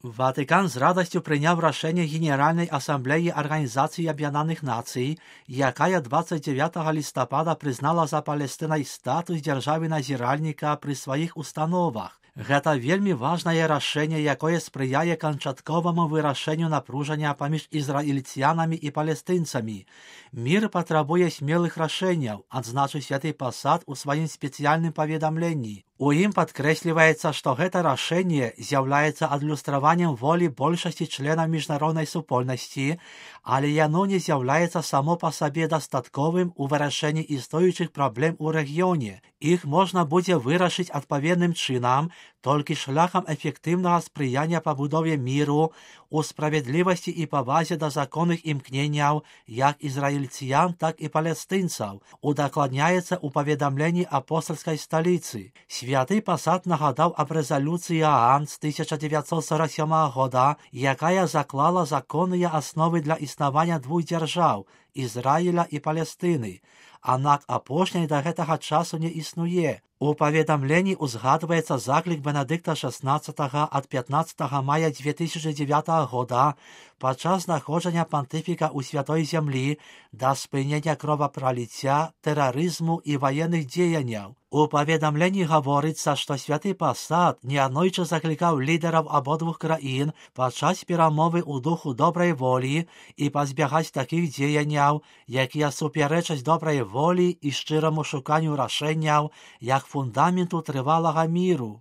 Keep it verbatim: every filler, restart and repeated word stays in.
Ватикан з радостью прийняв рішення Генеральної асамблеї Організації Об'єднаних Націй, яка двадцять дев'ятого листопада признала за Палестиною статус держави-назиральника при своїх установах. Гэта вельмі важнае рашэнне, якое спрыяе канчатковаму вырашэнню напружання паміж ізраільцянамі і палестынцамі. Мір патрабуе смелых рашэнняў, адзначыў святы пасад у сваім спецыяльным паведамленні. У ім падкрэсліваецца, што гэта рашэнне з'яўляецца адлюстраваннем волі большасці членаў міжнароднай супольнасці, але яно не з'яўляецца само па сабе дастатковым у вырашэнні існуючых праблем у рэгіёне. Іх можна будзе вырашыць адпаведным чынам, толькі шляхам эфектыўнага спрыяння пабудове міру, у справядлівасці і павазе да законных імкненняў як ізраільцян, так і палестынцаў, удакладняецца ў паведамленні апостальскай сталіцы. Святы пасад нагадаў аб рэзалюцыі ААН з тысяча дзевяцьсот сорок сёмага года, якая заклала законныя асновы для існавання двух дзяржаў – Ізраіля і Палестыны. Аднак апошняй да гэтага часу не існуе. У паведамленні узгадваецца заклік Бенедыкта шаснаццатага ад пятнаццатага мая дзве тысячы дзевятага года падчас знаходжання пантыфіка ў святой зямлі да спынення кровапраліцця, тэрарызму і ваенных дзеянняў. У паведамленні гаворыцца, што святы пасад неаднойчы заклікаў лідараў абодвух краін падчас перамовы ў духу добрай волі і пазбягаць такіх дзеянняў, якія супярэчаць добрай волі і шчыраму шуканню рашэнняў як фундаменту трывалага міру.